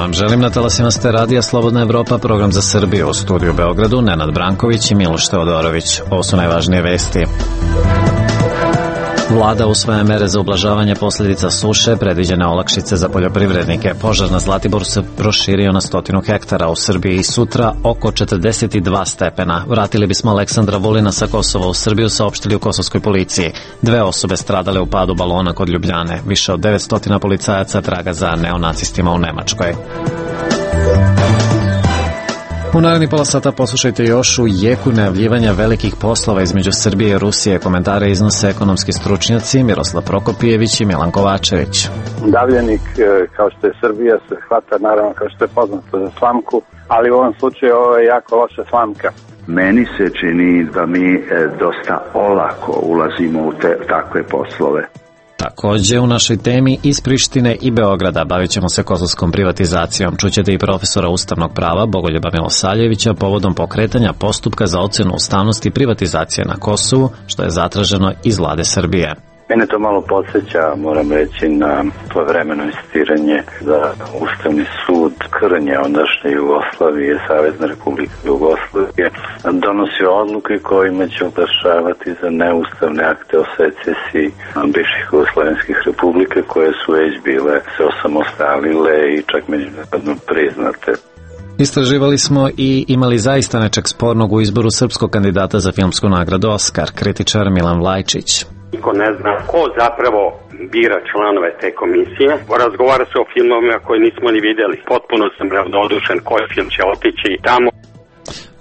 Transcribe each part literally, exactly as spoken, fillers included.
vam želim na talasima ste Radija Slobodna Evropa, program za Srbiju, u studiju Beogradu Nenad Branković i Miloš Teodorović. Ovo su najvažnije vesti. Vlada usvaja mere za ublažavanje posljedica suše, predviđene olakšice za poljoprivrednike. Požar na Zlatiboru se proširio na stotinu hektara, u Srbiji i sutra oko četrdeset dva stepena. Vratili bismo Aleksandra Vulina sa Kosova u Srbiju, saopštili u kosovskoj policiji. Dve osobe stradale u padu balona kod Ljubljane. Više od devetsto policajaca traga za neonacistima u Nemačkoj. U narednih pola sata poslušajte još u jeku najavljivanja velikih poslova između Srbije i Rusije. Komentare iznose ekonomski stručnjaci Miroslav Prokopijević i Milan Kovačević. Davljenik, kao što je Srbija, se hvata naravno kao što je poznato za slamku, ali u ovom slučaju ovo je jako loša slamka. Meni se čini da mi dosta olako ulazimo u te, takve poslove. Takođe, u našoj temi iz Prištine i Beograda bavit ćemo se kosovskom privatizacijom. Čućete i profesora ustavnog prava Bogoljuba Milosavljevića povodom pokretanja postupka za ocenu ustavnosti privatizacije na Kosovu, što je zatraženo iz vlade Srbije. Mene to malo podsjeća, moram reći, na svojevremeno insistiranje za Ustavni sud Krnje, ondašnje Jugoslavije, Savezne Republike Jugoslavije, donosio odluke kojima će oglašavati za neustavne akte o secesiji bivših jugoslovenskih republike koje su već bile se osamostalile i čak međunarodno priznate. Istraživali smo i imali zaista nečeg spornog u izboru srpskog kandidata za filmsku nagradu Oskar, kritičar Milan Vlajčić. Niko ne zna ko zapravo bira članove te komisije. Razgovara se o filmovima koje nismo ni videli. Potpuno sam ravnodušen koji film će otići tamo.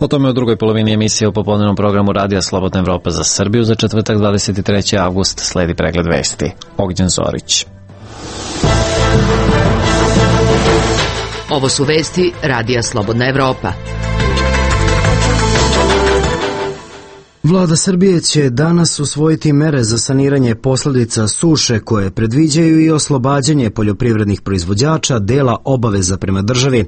O tome u drugoj polovini emisije u popodnevnom programu Radija Slobodna Evropa za Srbiju za četvrtak dvadeset treći avgust sledi pregled vesti. Ognjen Zorić. Ovo su vesti Radija Slobodna Evropa. Vlada Srbije će danas usvojiti mere za saniranje posljedica suše koje predviđaju i oslobađanje poljoprivrednih proizvođača dela obaveza prema državi.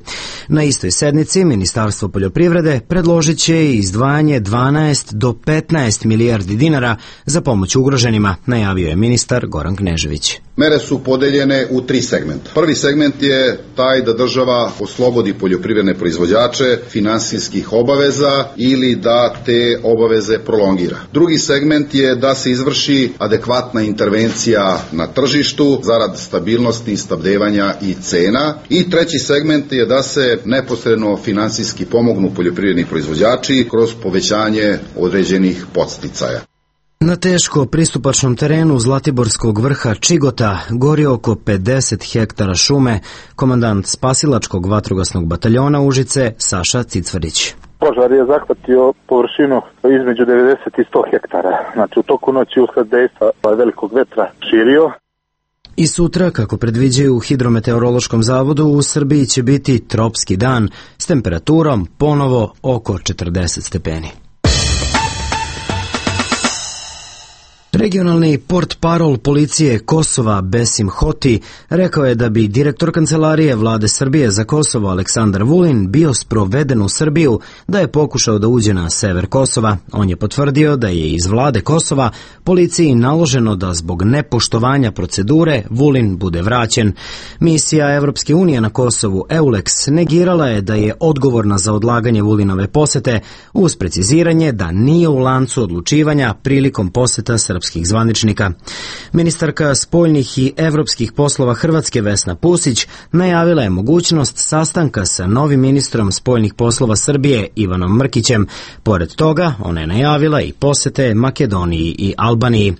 Na istoj sednici Ministarstvo poljoprivrede predložit će i izdvajanje dvanaest do petnaest milijardi dinara za pomoć ugroženima, najavio je ministar Goran Knežević. Mere su podeljene u tri segmenta. Prvi segment je taj da država oslobodi poljoprivredne proizvođače finansijskih obaveza ili da te obaveze prolongira. Drugi segment je da se izvrši adekvatna intervencija na tržištu zarad stabilnosti, snabdevanja i cena. I treći segment je da se neposredno finansijski pomognu poljoprivredni proizvođači kroz povećanje određenih podsticaja. Na teško pristupačnom terenu Zlatiborskog vrha Čigota gori oko pedeset hektara šume, komandant spasilačkog vatrogasnog bataljona Užice Saša Cicvarić. Požar je zahvatio površinu između devedeset i sto hektara. Znači u toku noći usled dejstva velikog vetra širio. I sutra, kako predviđaju u Hidrometeorološkom zavodu, u Srbiji će biti tropski dan s temperaturom ponovo oko četrdeset stepeni. Regionalni portparol policije Kosova Besim Hoti rekao je da bi direktor kancelarije vlade Srbije za Kosovo Aleksandar Vulin bio sproveden u Srbiju da je pokušao da uđe na sever Kosova. On je potvrdio da je iz vlade Kosova policiji naloženo da zbog nepoštovanja procedure Vulin bude vraćen. Misija Evropske unije na Kosovu EULEX negirala je da je odgovorna za odlaganje Vulinove posete uz preciziranje da nije u lancu odlučivanja prilikom poseta srpskih zvaničnika. Ministarka spoljnih i evropskih poslova Hrvatske Vesna Pusić najavila je mogućnost sastanka sa novim ministrom spoljnih poslova Srbije Ivanom Mrkićem. Pored toga, ona je najavila i posete Makedoniji i Albaniji.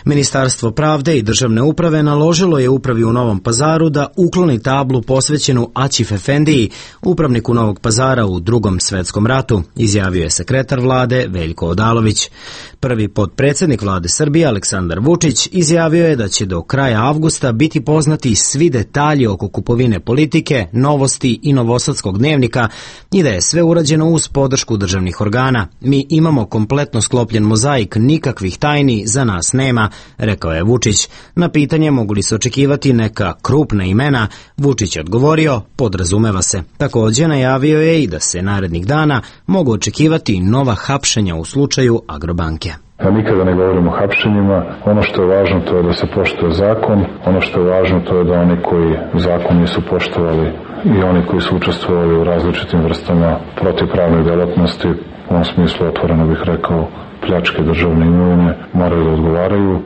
Ministarstvo pravde i državne uprave naložilo je upravi u Novom Pazaru da ukloni tablu posvećenu Aćif Efendiji, upravniku Novog Pazara u Drugom svetskom ratu, izjavio je sekretar vlade Veljko Odalović. Prvi potpredsjednik vlade Srbije Aleksandar Vučić izjavio je da će do kraja avgusta biti poznati svi detalji oko kupovine Politike, Novosti i Novosadskog dnevnika i da je sve urađeno uz podršku državnih organa. Mi imamo kompletno sklopljen mozaik, nikakvih tajni za nas nema, rekao je Vučić. Na pitanje mogu li se očekivati neka krupna imena, Vučić je odgovorio, podrazumeva se. Također najavio je i da se narednih dana mogu očekivati nova hapšenja u slučaju Agrobanke. Ja nikada ne govorim o hapšenjima. Ono što je važno to je da se poštuje zakon. Ono što je važno to je da oni koji zakon nisu poštovali i oni koji su učestvovali u različitim vrstama protivpravne delatnosti, u ovom smislu otvoreno bih rekao pljačke državne imovine, moraju da odgovaraju.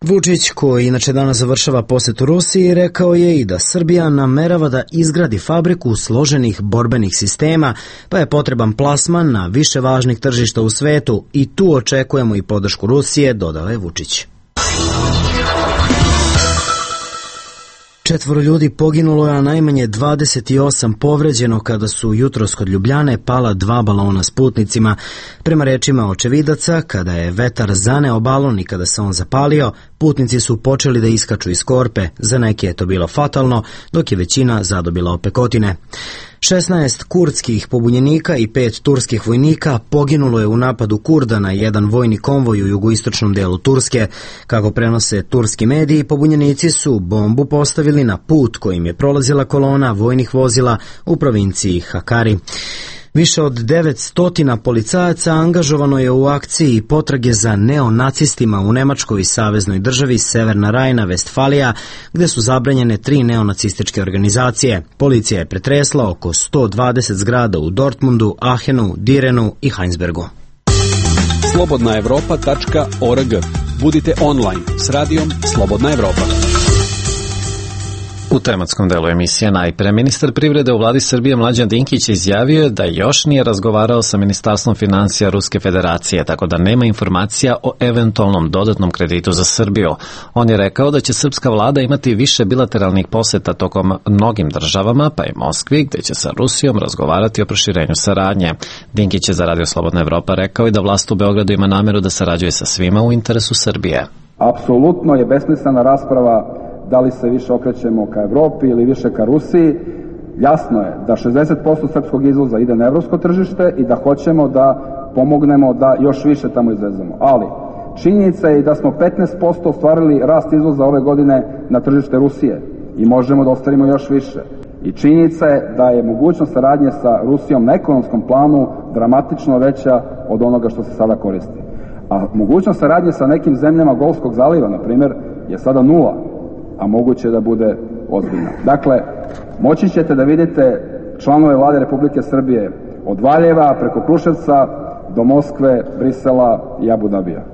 Vučić, koji inače danas završava posetu Rusiji, rekao je i da Srbija namerava da izgradi fabriku složenih borbenih sistema, pa je potreban plasman na više važnih tržišta u svetu i tu očekujemo i podršku Rusije, dodao je Vučić. Četvoro ljudi poginulo je, a najmanje dvadeset osam povređeno kada su jutros kod Ljubljane pala dva balona s putnicima. Prema rečima očevidaca, kada je vetar zaneo balon i kada se on zapalio, putnici su počeli da iskaču iz korpe. Za neke je to bilo fatalno, dok je većina zadobila opekotine. šesnaest kurdskih pobunjenika i pet turskih vojnika poginulo je u napadu Kurda na jedan vojni konvoj u jugoistočnom delu Turske. Kako prenose turski mediji, pobunjenici su bombu postavili na put kojim je prolazila kolona vojnih vozila u provinciji Hakari. Više od devetsto policajaca angažovano je u akciji potrage za neonacistima u Nemačkoj i saveznoj državi Severna Rajna-Vestfalija, gde su zabranjene tri neonacističke organizacije. Policija je pretresla oko sto dvadeset zgrada u Dortmundu, Aachenu, Direnu i Heinsbergu. slobodna evropa tačka org. Budite online s radijom Slobodna Evropa. U tematskom delu emisije najpre ministar privrede u vladi Srbije Mlađan Dinkić izjavio da još nije razgovarao sa Ministarstvom financija Ruske federacije, tako da nema informacija o eventualnom dodatnom kreditu za Srbiju. On je rekao da će srpska vlada imati više bilateralnih poseta tokom mnogim državama, pa i Moskvi, gde će sa Rusijom razgovarati o proširenju saradnje. Dinkić je za Radio Slobodna Evropa rekao i da vlast u Beogradu ima nameru da sarađuje sa svima u interesu Srbije. Apsolutno je besmislena rasprava da li se više okrećemo ka Evropi ili više ka Rusiji. Jasno je da šezdeset posto srpskog izvoza ide na evropsko tržište i da hoćemo da pomognemo da još više tamo izvezemo. Ali činjenica je i da smo petnaest posto ostvarili rast izvoza ove godine na tržište Rusije i možemo da ostvarimo još više. I činjenica je da je mogućnost saradnje sa Rusijom na ekonomskom planu dramatično veća od onoga što se sada koristi. A mogućnost saradnje sa nekim zemljama Golfskog zaliva, na primjer, je sada nula, a moguće da bude ozbiljna. Dakle, moći ćete da vidite članove vlade Republike Srbije od Valjeva preko Kruševca do Moskve, Brisela i Abu Dabija.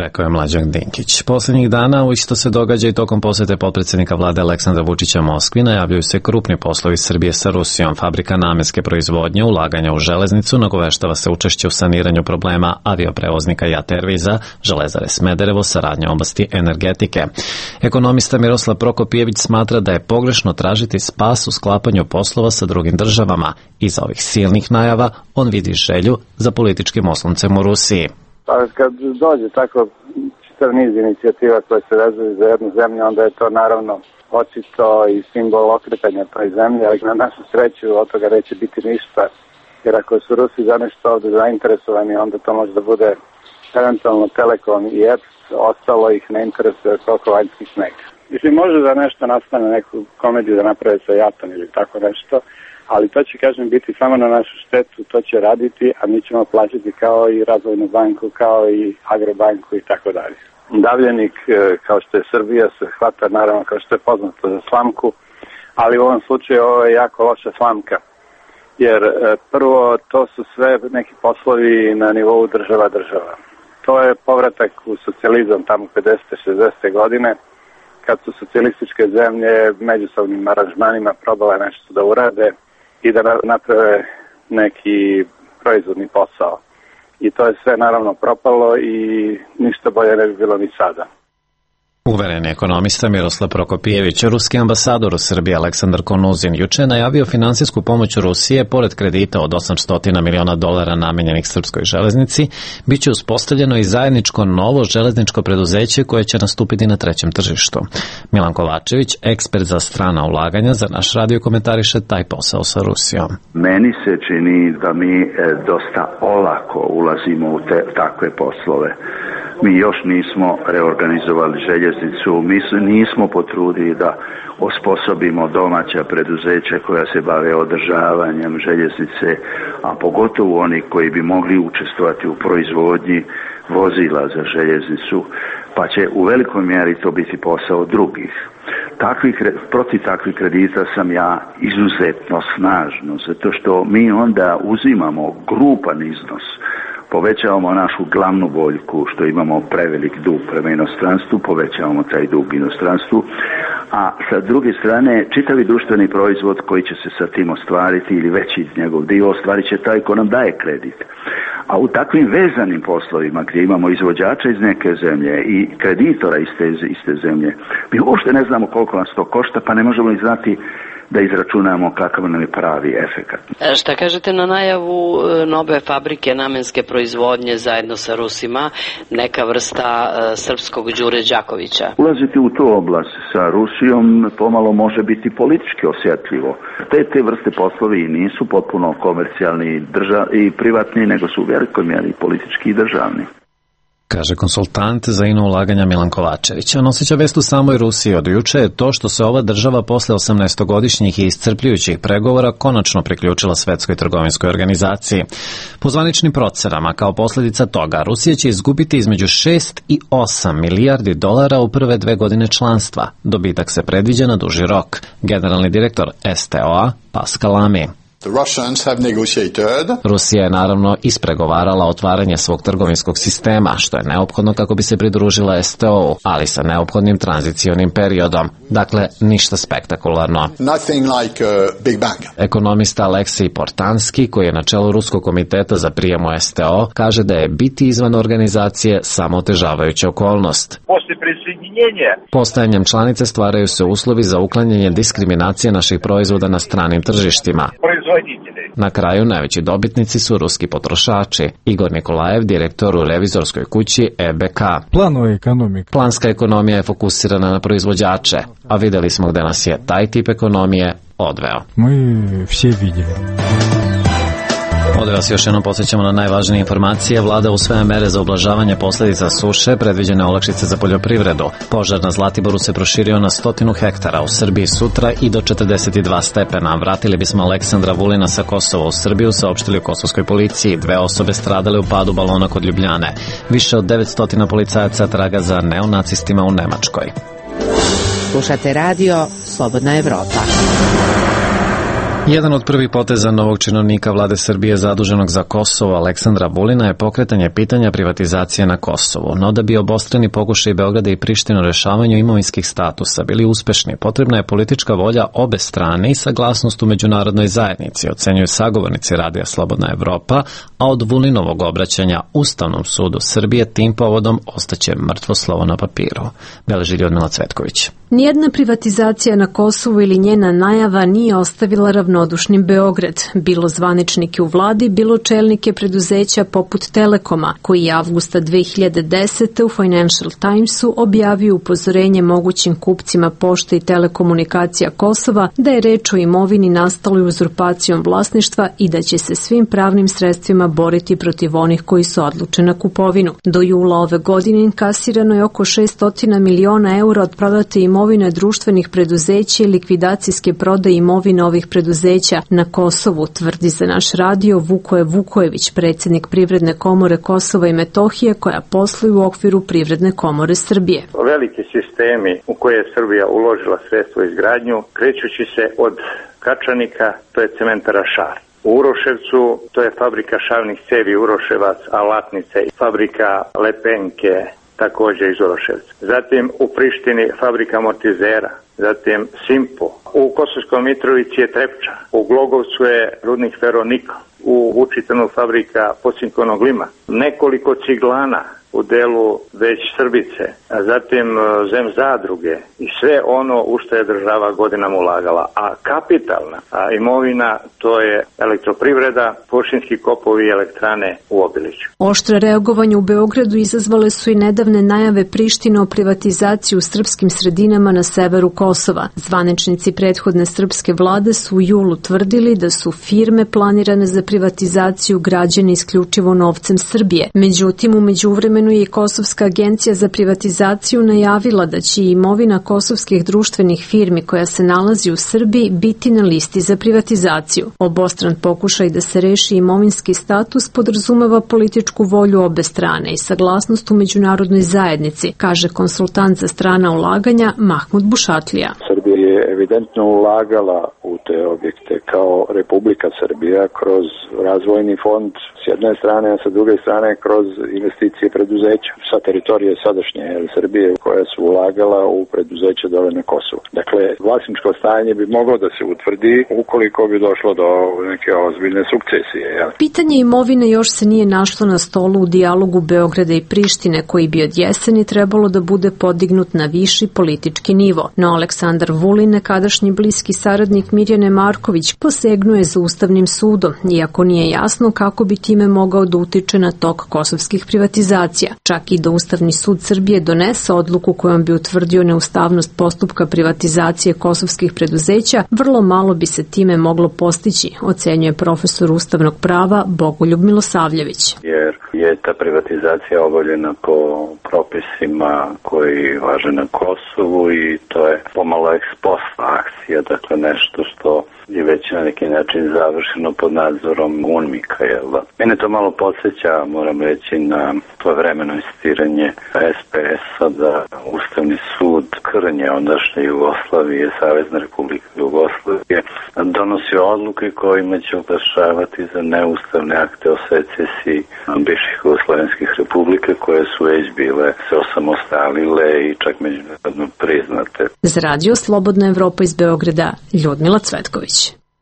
Rekao je Mlađan Dinkić. Poslednjih dana u isto se događa i tokom posete potpredsednika vlade Aleksandra Vučića Moskvi najavljuju se krupni poslovi Srbije sa Rusijom, fabrika namenske proizvodnje, ulaganja u železnicu, nagoveštava se učešće u saniranju problema avioprevoznika JAT Airwaysa, Železare Smederevo, saradnja u oblasti energetike. Ekonomista Miroslav Prokopijević smatra da je pogrešno tražiti spas u sklapanju poslova sa drugim državama. Iza ovih silnih najava on vidi želju za političkim osloncem u Rusiji. Pa kad dođe tako čitav niz inicijativa koje se vezuju za jednu zemlju, onda je to naravno očito i simbol okretanja toj zemlji, ali na našu sreću od toga neće biti ništa, jer ako su Rusi za nešto ovde zainteresovani, onda to može da bude eventualno Telekom i E P S, ostalo ih ne interesuje koliko vanjski sneg. Mislim, može da nešto nastane, neku komediju da naprave sa jatom ili tako nešto, ali to će, kažem, biti samo na našu štetu, to će raditi, a mi ćemo plaćati kao i Razvojnu banku, kao i Agrobanku i tako dalje. Davljenik, kao što je Srbija, se hvata, naravno, kao što je poznato, za slamku, ali u ovom slučaju ovo je jako loša slamka, jer prvo, to su sve neki poslovi na nivou država-država. To je povratak u socijalizam tamo pedesete šezdesete godine, kad su socijalističke zemlje međusobnim aranžmanima probale nešto da urade i da naprave neki proizvodni posao. I to je sve naravno propalo i ništa bolje ne bi bilo ni sada. Uvereni ekonomista Miroslav Prokopijević, ruski ambasador u Srbiji Aleksandar Konuzin, juče je najavio finansijsku pomoć Rusije, pored kredita od osamsto miliona dolara namenjenih srpskoj železnici, bit će uspostavljeno i zajedničko novo železničko preduzeće koje će nastupiti na trećem tržištu. Milan Kovačević, ekspert za strana ulaganja, za naš radio komentariše taj posao sa Rusijom. Meni se čini da mi dosta olako ulazimo u te, takve poslove. Mi još nismo reorganizovali željeznicu, mi nismo potrudili da osposobimo domaća preduzeća koja se bave održavanjem željeznice, a pogotovo oni koji bi mogli učestvovati u proizvodnji vozila za željeznicu, pa će u velikoj mjeri to biti posao drugih. takvih, protiv takvih kredita sam ja izuzetno snažno, zato što mi onda uzimamo grupan iznos, povećavamo našu glavnu boljku, što imamo prevelik dug prema inostranstvu, povećavamo taj dug inostranstvu, a sa druge strane čitavi društveni proizvod koji će se sa tim ostvariti ili veći njegov dio ostvarit će taj ko nam daje kredit. A u takvim vezanim poslovima gdje imamo izvođača iz neke zemlje i kreditora iz te, iz te zemlje, mi uopšte ne znamo koliko nas to košta, pa ne možemo ni znati da izračunamo kakav nam je pravi efekat. Šta kažete na najavu nove fabrike namenske proizvodnje zajedno sa Rusima, neka vrsta uh, srpskog Đure Đakovića? Ulaziti u tu oblast sa Rusijom pomalo može biti politički osjetljivo. Te, te vrste poslovi nisu potpuno komercijalni drža, i privatni, nego su u velikoj mjeri politički i državni. Kaže konsultant za ino ulaganja Milan Kovačević. A noseća vest u samoj Rusiji od juče je to što se ova država posle osamnaestogodišnjih i iscrpljujućih pregovora konačno priključila Svetskoj trgovinskoj organizaciji. Po zvaničnim procenama, kao posljedica toga, Rusija će izgubiti između šest i osam milijardi dolara u prve dve godine članstva. Dobitak se predviđa na duži rok. Generalni direktor S T O-a Pascal Lamy. Rusija je naravno ispregovarala otvaranje svog trgovinskog sistema, što je neophodno kako bi se pridružila S T O-u, ali sa neophodnim tranzicionim periodom. Dakle, ništa spektakularno. Like Ekonomista Aleksij Portanski, koji je na čelu Ruskog komiteta za prijem u S T O, kaže da je biti izvan organizacije samo otežavajuća okolnost. Postajanjem članice stvaraju se uslovi za uklanjanje diskriminacije naših proizvoda na stranim tržištima. Na kraju najveći dobitnici su ruski potrošači. Igor Nikolajev, direktor u revizorskoj kući E B K. Planska ekonomija je fokusirana na proizvođače, a videli smo gde nas je taj tip ekonomije odveo. Ovdje vas još jednom podsjećamo na najvažnije informacije. Vlada usvaja mere za ublažavanje posljedica suše, predviđene olakšice za poljoprivredu. Požar na Zlatiboru se proširio na stotinu hektara, u Srbiji sutra i do četrdeset dva stepena. Vratili bismo Aleksandra Vulina sa Kosova u Srbiju, saopštili u kosovskoj policiji. Dve osobe stradale u padu balona kod Ljubljane. Više od devetsto policajaca traga za neonacistima u Nemačkoj. Slušate radio Slobodna Evropa. Jedan od prvih poteza novog činovnika vlade Srbije zaduženog za Kosovo, Aleksandra Vulina, je pokretanje pitanja privatizacije na Kosovu. No da bi obostrani pokušaj Beograda i Prištine u rešavanju imovinskih statusa bili uspešni, potrebna je politička volja obe strane i saglasnost u međunarodnoj zajednici, ocenjuju sagovornici radija Slobodna Evropa, a od Vulinovog obraćanja Ustavnom sudu Srbije tim povodom ostaće mrtvo slovo na papiru. Beleži Ljudmila Cvetković. Nijedna privatizacija na Kosovu ili njena najava nije ostavila ravnodušnim Beograd, bilo zvaničnike u vladi, bilo čelnike preduzeća poput Telekoma, koji je avgusta dve hiljade desete. u Financial Timesu objavio upozorenje mogućim kupcima pošte i telekomunikacija Kosova da je reč o imovini nastaloj uzurpacijom vlasništva i da će se svim pravnim sredstvima boriti protiv onih koji su odluče na kupovinu. Do jula ove godine inkasirano je oko šessto miliona eura od prodate imovine društvenih preduzeća i likvidacijske prodaje imovine ovih preduzeća na Kosovu, tvrdi za naš radio Vukoje Vukojević, predsjednik Privredne komore Kosova i Metohije, koja posluje u okviru Privredne komore Srbije. Veliki sistemi u koje je Srbija uložila sredstvo izgradnju, krećući se od Kačanika, to je cementara Šar. U Uroševcu, to je fabrika šavnih cevi Uroševac, Alatnice, fabrika Lepenke, također iz Uroševca. Zatim u Prištini fabrika amortizera, zatim Simpo. U Kosovskoj Mitrovici je Trepča, u Glogovcu je rudnik Feronikl, u Vučitanu fabrika pocinkonog lima, nekoliko ciglana u delu već Srbice, a zatim zem zadruge i sve ono u što je država godinama ulagala. A kapitalna a imovina, to je elektroprivreda, poštinski kopovi i elektrane u Obiliću. Oštre reagovanje u Beogradu izazvale su i nedavne najave Prištine o privatizaciji u srpskim sredinama na severu Kosova. Zvaničnici prethodne srpske vlade su u julu tvrdili da su firme planirane za privatizaciju građene isključivo novcem Srbije. Međutim, u međuvremenu je Kosovska agencija za privatizaciju najavila da će imovina kosovskih društvenih firmi koja se nalazi u Srbiji biti na listi za privatizaciju. Obostran pokušaj da se reši imovinski status podrazumeva političku volju obe strane i saglasnost u međunarodnoj zajednici, kaže konsultant za strana ulaganja Mahmud Bušatlija. Kurtlija. Srbija je evidentno ulagala u te objekte kao Republika Srbija kroz razvojni fond s jedne strane, a sa druge strane kroz investicije preduzeća sa teritorije sadašnje Srbije koja su ulagala u preduzeće dole na Kosovu. Dakle, vlasničko stanje bi moglo da se utvrdi ukoliko bi došlo do neke ozbiljne sukcesije. Jel? Pitanje imovine još se nije našlo na stolu u dijalogu Beograda i Prištine, koji bi od jeseni trebalo da bude podignut na viši politički nivo. No Aleksandar Vulin, nekadašnji bliski saradnik Mirjane Marković, posegnuje za Ustavnim sudom, iako nije jasno kako bi time mogao da utiče na tok kosovskih privatizacija. Čak i da Ustavni sud Srbije donese odluku kojom bi utvrdio neustavnost postupka privatizacije kosovskih preduzeća, vrlo malo bi se time moglo postići, ocenjuje profesor ustavnog prava Bogoljub Milosavljević. Jer je ta privatizacija obavljena po propisima koji važe na Kosovu i to je pomalo ex post akcija, dakle nešto što je već na neki način završeno pod nadzorom UNMIK-a. Mene to malo podsjeća, moram reći, na svojevremeno insistiranje es pe es-a da Ustavni sud Krnje, ondašnje Jugoslavije, Savezne Republike Jugoslavije, donosi odluke kojima će oglašavati za neustavne akte o secesiji bivših jugoslovenskih republika koje su već bile se osamostalile i čak međunarodno priznate. Za radio Slobodna Evropa iz Beograda, Ljudmila Cvetković.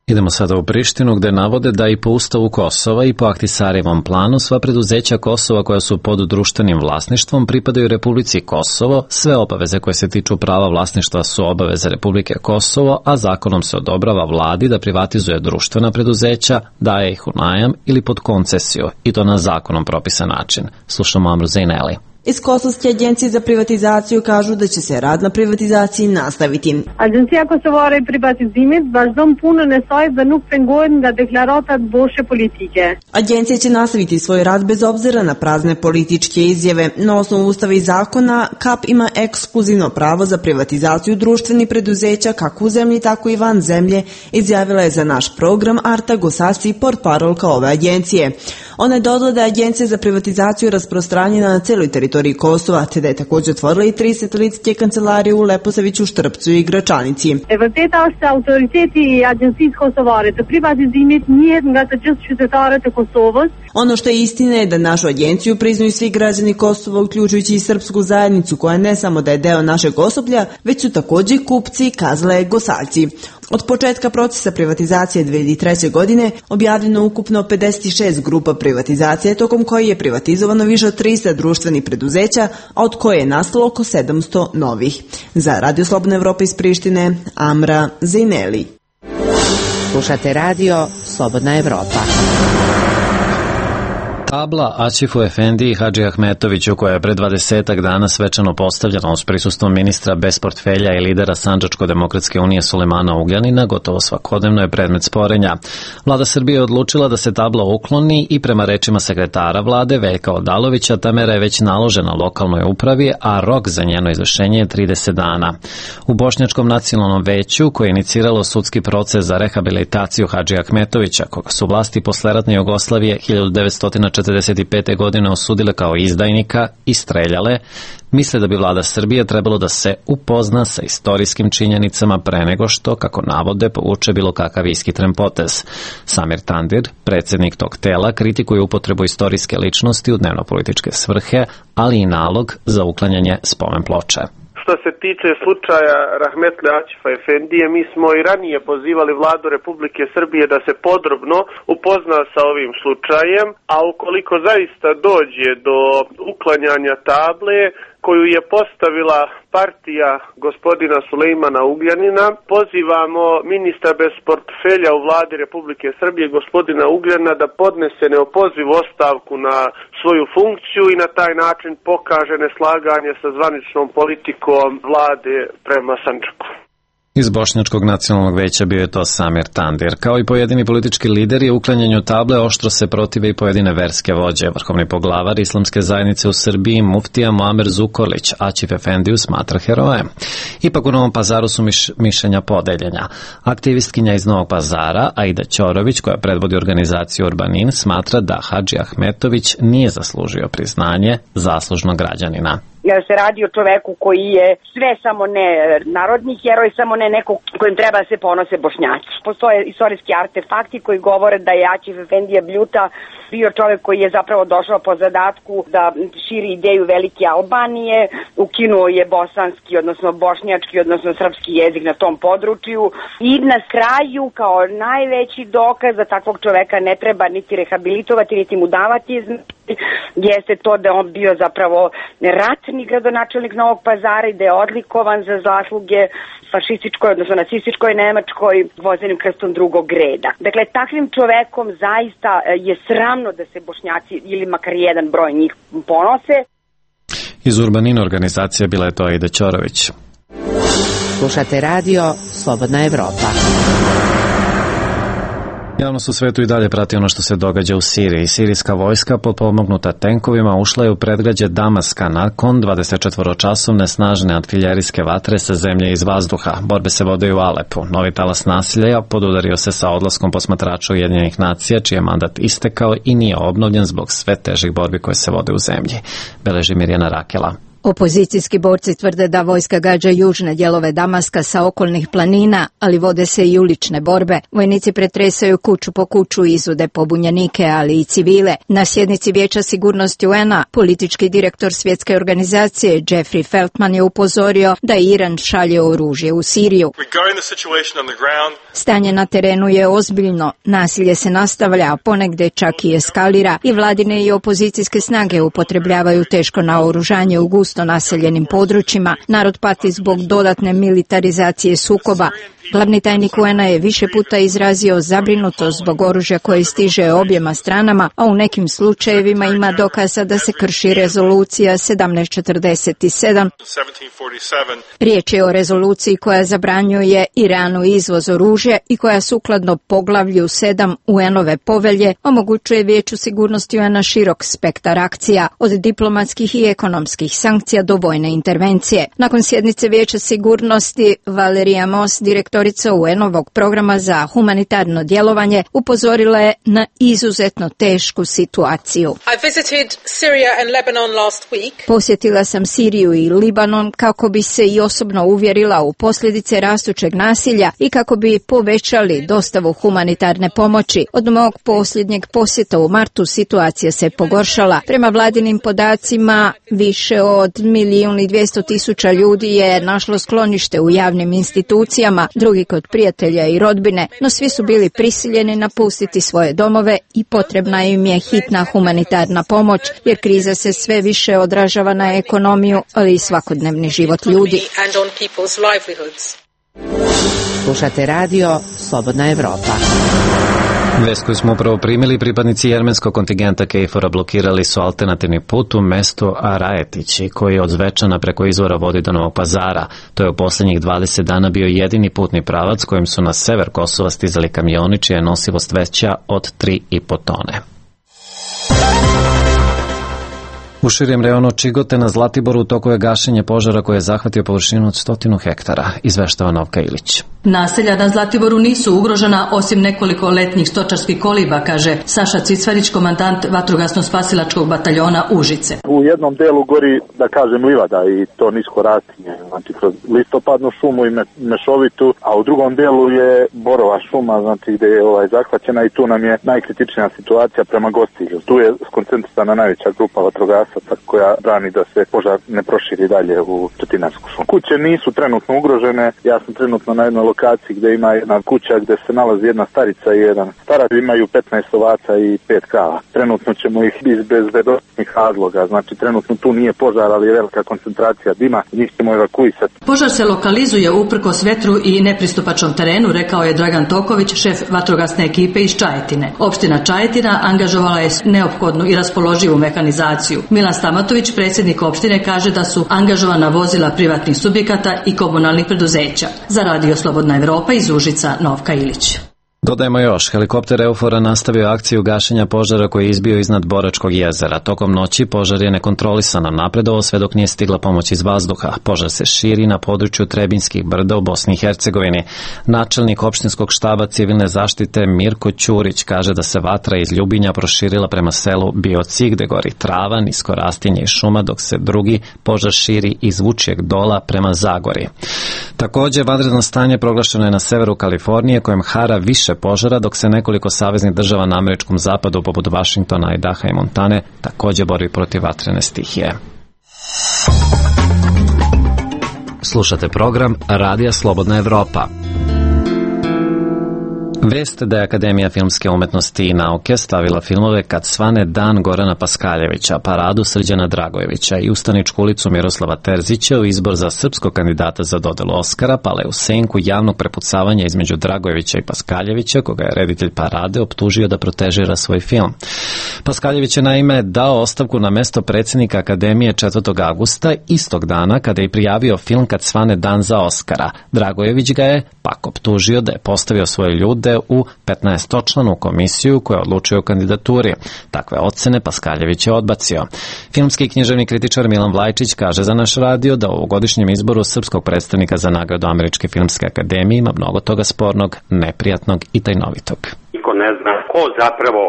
Idemo sada u Prištinu, gde navode da i po ustavu Kosova i po Ahtisarijevom planu sva preduzeća Kosova koja su pod društvenim vlasništvom pripadaju Republici Kosovo, sve obaveze koje se tiču prava vlasništva su obaveze Republike Kosovo, a zakonom se odobrava vladi da privatizuje društvena preduzeća, daje ih u najam ili pod koncesiju, i to na zakonom propisan način. Slušamo Amru Zejneli. Iz Kosovske agencije za privatizaciju kažu da će se rad na privatizaciji nastaviti. Agencija Kosovare privatizimit vazhdon punën e saj dhe nuk pengohen nga deklaratat boshe politike. Agencija će nastaviti svoj rad bez obzira na prazne političke izjave. Na osnovu ustava i zakona, K A P ima ekskluzivno pravo za privatizaciju društvenih preduzeća kako u zemlji, tako i van zemlje, izjavila je za naš program Arta Gosasi, portparolka ove agencije. Ona je dodala da je agencija za privatizaciju rasprostranjena na celoj teritoriji Kosova, te da je također otvorila i tri satelitske kancelarije u Leposaviću, Štrpcu i Gračanici. E vërteta është se autoriteti i Agjencisë Kosovare të privatizimit njihet nga të gjithë qytetarët e Kosovës. Ono što je istina je da našu agenciju priznaju svi građani Kosova, uključujući i srpsku zajednicu, koja ne samo da je deo našeg osoblja, već su također kupci, kazale Gosaljci. Od početka procesa privatizacije dve hiljade treće. godine objavljeno ukupno pedeset šest grupa privatizacije, tokom koje je privatizovano više od trista društvenih preduzeća, a od koje je nastalo oko sedamsto novih. Za Radio Slobodna Evropa iz Prištine, Amra Zejneli. Slušate radio Slobodna Evropa. Tabla Aćifu Efendiji i Hadži Ahmetoviću, koja je pre dvadesetak dana svečano postavljena uz prisustvo ministra bez portfelja i lidera Sandžačko-demokratske unije Sulejmana Ugljanina, gotovo svakodnevno je predmet sporenja. Vlada Srbije je odlučila da se tabla ukloni i prema rečima sekretara vlade Veljka Odalovića ta mera je već naložena lokalnoj upravi, a rok za njeno izvršenje je trideset dana. U Bošnjačkom nacionalnom veću, koje je iniciralo sudski proces za rehabilitaciju Hadži Ahmetovića, koga su vlasti posleratne Jugoslavije hiljadu devetsto četrdeset pete. godine osudile kao izdajnika i streljale, misle da bi vlada Srbije trebalo da se upozna sa istorijskim činjenicama pre nego što, kako navode, povuče bilo kakav ishitren potez. Samir Tandir, predsjednik tog tela, kritikuje upotrebu istorijske ličnosti u dnevno-političke svrhe, ali i nalog za uklanjanje spomen ploče. Što se tiče slučaja Rahmetli Aćifa Efendije, mi smo i ranije pozivali vladu Republike Srbije da se podrobno upozna sa ovim slučajem, a ukoliko zaista dođe do uklanjanja table koju je postavila partija gospodina Sulejmana Ugljanina, pozivamo ministra bez portfelja u vladi Republike Srbije, gospodina Ugljana, da podnese neopozivu ostavku na svoju funkciju i na taj način pokaže neslaganje sa zvaničnom politikom vlade prema Sandžaku. Iz Bošnjačkog nacionalnog veća bio je to Samir Tandir. Kao i pojedini politički lideri, uklanjanju table oštro se protive i pojedine verske vođe. Vrhovni poglavar islamske zajednice u Srbiji, muftija Muamer Zukorlić, Aćif Efendiju smatra herojem. Ipak u Novom Pazaru su miš, mišljenja podeljenja. Aktivistkinja iz Novog Pazara, Aida Ćorović, koja predvodi organizaciju Urbanin, smatra da Hadži Ahmetović nije zaslužio priznanje zaslužnog građanina. se radi o čoveku koji je sve samo ne narodni heroj, samo ne neko kojim treba da se ponose Bošnjaci. Postoje istorijski artefakti koji govore da je Aćif Efendija Bljuta bio čovek koji je zapravo došao po zadatku da širi ideju velike Albanije, ukinuo je bosanski, odnosno bošnjački, odnosno srpski jezik na tom području i na kraju kao najveći dokaz da takvog čoveka ne treba niti rehabilitovati, niti mu davati jeste to da on bio zapravo ratni gradonačelnik Novog Pazara i da je odlikovan za zasluge fašističkoj, odnosno nacističkoj Nemačkoj vozenim krstom drugog reda. Dakle, takvim čovekom zaista je sramno da se Bošnjaci ili makar jedan broj njih ponose. Iz Urbanina organizacije bila je to Aida Ćorović. Slušate radio Slobodna Evropa. Javnost u svetu i dalje prati ono što se događa u Siriji. Sirijska vojska potpomognuta tenkovima ušla je u predgrađe Damaska nakon dvadesetčetvoročasovne snažne artiljerijske vatre sa zemlje iz vazduha. Borbe se vode u Alepu. Novi talas nasilja podudario se sa odlaskom posmatrača Ujedinjenih nacija, čiji je mandat istekao i nije obnovljen zbog sve težih borbi koje se vode u zemlji. Beleži Mirjana Rakela. Opozicijski borci tvrde da vojska gađa južne dijelove Damaska sa okolnih planina, ali vode se i ulične borbe. Vojnici pretresaju kuću po kuću i izvode pobunjenike, ali i civile. Na sjednici Vijeća sigurnosti U N A politički direktor svjetske organizacije Jeffrey Feltman je upozorio da Iran šalje oružje u Siriju. Stanje na terenu je ozbiljno, nasilje se nastavlja, a ponegde čak i eskalira i vladine i opozicijske snage upotrebljavaju teško naoružanje u gusto naseljenim područjima. Narod pati zbog dodatne militarizacije sukoba. Glavni tajnik U N A je više puta izrazio zabrinutost zbog oružja koje stiže objema stranama, a u nekim slučajevima ima dokaza da se krši rezolucija sedamnaest četrdeset sedam. Riječ je o rezoluciji koja zabranjuje Iranu izvoz oružja i koja sukladno poglavlju sedam U N-ove povelje omogućuje Vijeću sigurnosti U N A širok spektar akcija, od diplomatskih i ekonomskih sankcija do vojne intervencije. Nakon sjednice Vijeća sigurnosti, Valerija Moss, direktorica U N-ovog programa za humanitarno djelovanje, upozorila je na izuzetno tešku situaciju. Posjetila sam Siriju i Libanon kako bi se i osobno uvjerila u posljedice rastućeg nasilja i kako bi povećali dostavu humanitarne pomoći. Od mog posljednjeg posjeta u martu situacija se pogoršala. Prema vladinim podacima, više od milijun i dvjesto tisuća ljudi je našlo sklonište u javnim institucijama, drugi kod prijatelja i rodbine, no svi su bili prisiljeni napustiti svoje domove i potrebna im je hitna humanitarna pomoć, jer kriza se sve više odražava na ekonomiju, ali i svakodnevni život ljudi. Slušate radio Slobodna Evropa. Vest koju smo upravo primili, pripadnici jermenskog kontingenta Kejfora blokirali su alternativni put u mestu Arajetići, koji od Zvečana preko izvora vodi do Novog Pazara. To je u posljednjih dvadeset dana bio jedini putni pravac kojim su na sever Kosova stizali kamioni čija je nosivost veća od tri i po tone. U širijem rejonu Čigote na Zlatiboru u toku je gašenje požara koje je zahvatio površinu od stotinu hektara, izveštava Novka Ilić. Naselja na Zlatiboru nisu ugrožena osim nekoliko letnjih stočarskih koliba, kaže Saša Cicvarić, komandant vatrogasno-spasilačkog bataljona Užice. U jednom delu gori, da kažem, livada i to nisko rastinje, znači kroz listopadnu šumu i mešovitu, a u drugom delu je borova šuma, znači gde je ovaj zahvaćena i tu nam je najkritičnija situacija prema Gostilju. Tu je skoncentrisana najveća grupa vatrogasaca koja brani da se požar ne proširi dalje u Četinarsku šumu. Kuće nisu trenutno ugrožene, ja sam trenutno na jednoj lokaciji gde ima jedna kuća gde se nalazi jedna starica i jedan starac, imaju petnaest ovaca i pet krava. Trenutno ćemo ih iz bezbednosnih razloga, znači trenutno tu nije požar, ali je velika koncentracija dima, njih ćemo evakuisati. Požar se lokalizuje uprkos vetru i nepristupačnom terenu, rekao je Dragan Toković, šef vatrogasne ekipe iz Čajetine. Opština Čajetina angažovala je neophodnu i raspoloživu mehanizaciju. Milan Stamatović, predsjednik opštine, kaže da su angažovana vozila privatnih subjekata i komunalnih preduzeća. Za radio Slobodna Evropa iz Užica, Novka Ilić. Dodajemo još, helikopter Eufora nastavio akciju gašenja požara koji je izbio iznad Boračkog jezera. Tokom noći požar je nekontrolisano napredovao sve dok nije stigla pomoć iz vazduha. Požar se širi na području Trebinjskih brda u Bosni i Hercegovini. Načelnik opštinskog štaba civilne zaštite Mirko Ćurić kaže da se vatra iz Ljubinja proširila prema selu Biocik gde gori trava, nisko rastinje i šuma, dok se drugi požar širi iz Vučijeg dola prema Zagori. Također, vanredno stanje proglašeno je na severu Kalifornije kojem hara više požara, dok se nekoliko saveznih država na američkom zapadu poput Vašingtona, Idaha i Montane također bori protiv vatrene stihije. Slušate program Radija Slobodna Evropa. Vest da je Akademija filmske umetnosti i nauke stavila filmove Kad svane dan Gorana Paskaljevića, Paradu Srđana Dragojevića i Ustaničku ulicu Miroslava Terzića u izbor za srpskog kandidata za dodelu Oskara pale u senku javnog prepucavanja između Dragojevića i Paskaljevića, koga je reditelj Parade optužio da protežira svoj film. Paskaljević je naime dao ostavku na mesto predsjednika Akademije četvrtog avgusta, istog dana kada je prijavio film Kad svane dan za Oskara. Dragojević ga je pak optužio da je postavio svoje ljude u petnaestočlanu komisiju koja odlučuje o kandidaturi. Takve ocene Paskaljević je odbacio. Filmski i književni kritičar Milan Vlajčić kaže za naš radio da u ovogodišnjem izboru srpskog predstavnika za nagradu Američke filmske akademije ima mnogo toga spornog, neprijatnog i tajnovitog. Niko ne zna ko zapravo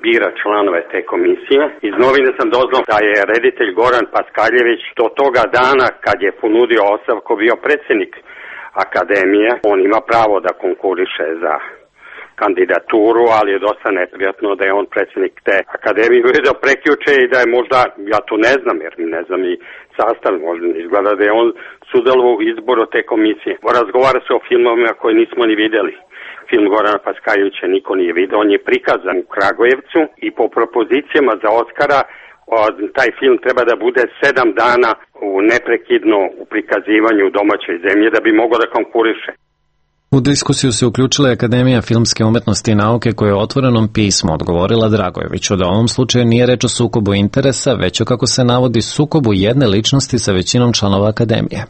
bira članove te komisije. Iz novine sam doznao da je reditelj Goran Paskaljević do toga dana kad je ponudio ostavku bio predsjednik akademije. On ima pravo da konkuriše za kandidaturu, ali je dosta neprijatno da je on predsjednik te akademije i da prekjuče i da je možda, ja to ne znam jer ne znam i sastav, možda izgleda da je on sudjelovao u izboru te komisije. Razgovara se o filmovima koje nismo ni vidjeli. Film Gorana Paskaljevića niko nije vidio, on je prikazan u Kragujevcu i po propozicijama za Oskara taj film treba da bude sedam dana u neprekidno u prikazivanju u domaćoj zemlji da bi mogao da konkuriše. U diskusiju se uključila Akademija filmske umetnosti i nauke koja je u otvorenom pismu odgovorila Dragojeviću da u ovom slučaju nije reč o sukobu interesa, već o, kako se navodi, sukobu jedne ličnosti sa većinom članova Akademije.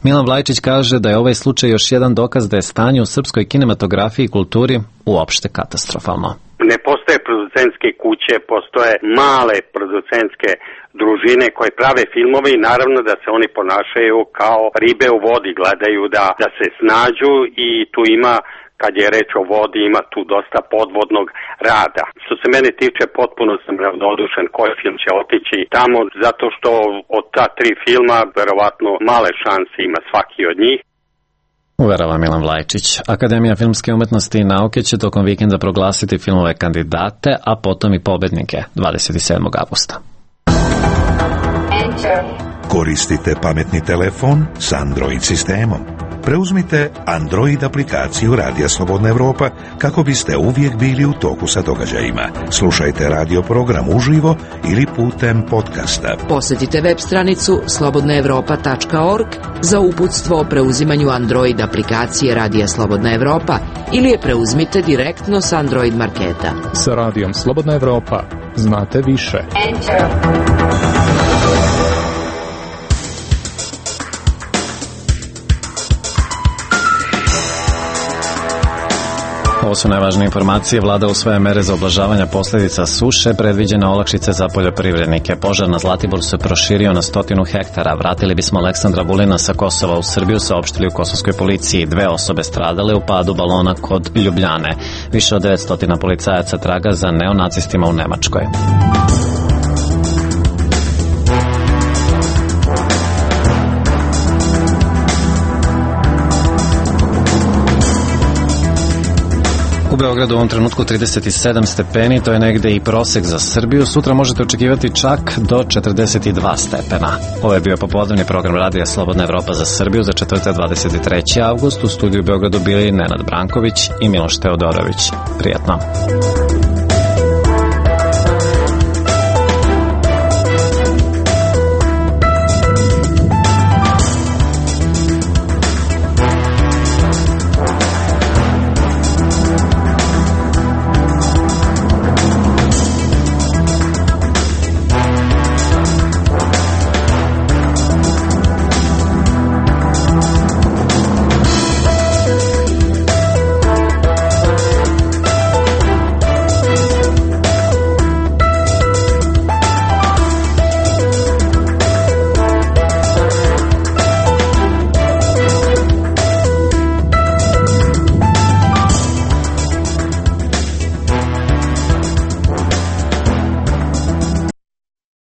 Milan Vlajčić kaže da je ovaj slučaj još jedan dokaz da je stanje u srpskoj kinematografiji i kulturi uopšte katastrofalno. Ne postoje producentske kuće, postoje male producentske družine koje prave filmove i naravno da se oni ponašaju kao ribe u vodi, gledaju da, da se snađu i tu ima, kad je reč o vodi, ima tu dosta podvodnog rada. Što se mene tiče, potpuno sam ravnodušen koji film će otići tamo, zato što od ta tri filma verovatno male šanse ima svaki od njih. Uverava Milan Vlajčić. Akademija filmske umetnosti i nauke će tokom vikenda proglasiti filmove kandidate, a potom i pobednike dvadeset sedmog avgusta. Koristite pametni telefon s Android sistemom. Preuzmite Android aplikaciju Radija Slobodna Evropa kako biste uvijek bili u toku sa događajima. Slušajte radio program uživo ili putem podcasta. Posjetite web stranicu slobodna evropa tačka org za uputstvo o preuzimanju Android aplikacije Radija Slobodna Evropa ili je preuzmite direktno s Android marketa. Sa Radijom Slobodna Evropa znate više. Enter. Ovo su najvažnije informacije. Vlada usvaja mere za ublažavanje posljedica suše, predviđene olakšice za poljoprivrednike. Požar na Zlatiboru se proširio na stotinu hektara. Vratili bismo Aleksandra Vulina sa Kosova u Srbiju, saopštili u kosovskoj policiji. Dve osobe stradale u padu balona kod Ljubljane. Više od devetsto policajaca traga za neonacistima u Nemačkoj. U Beogradu u ovom trenutku trideset sedam stepeni, to je negde i prosek za Srbiju. Sutra možete očekivati čak do četrdeset dva stepena. Ovo je bio popodnevni program Radija Slobodna Evropa za Srbiju za četvrtak dvadeset treći avgust. U studiju u Beogradu bili Nenad Branković i Miloš Teodorović. Prijatno.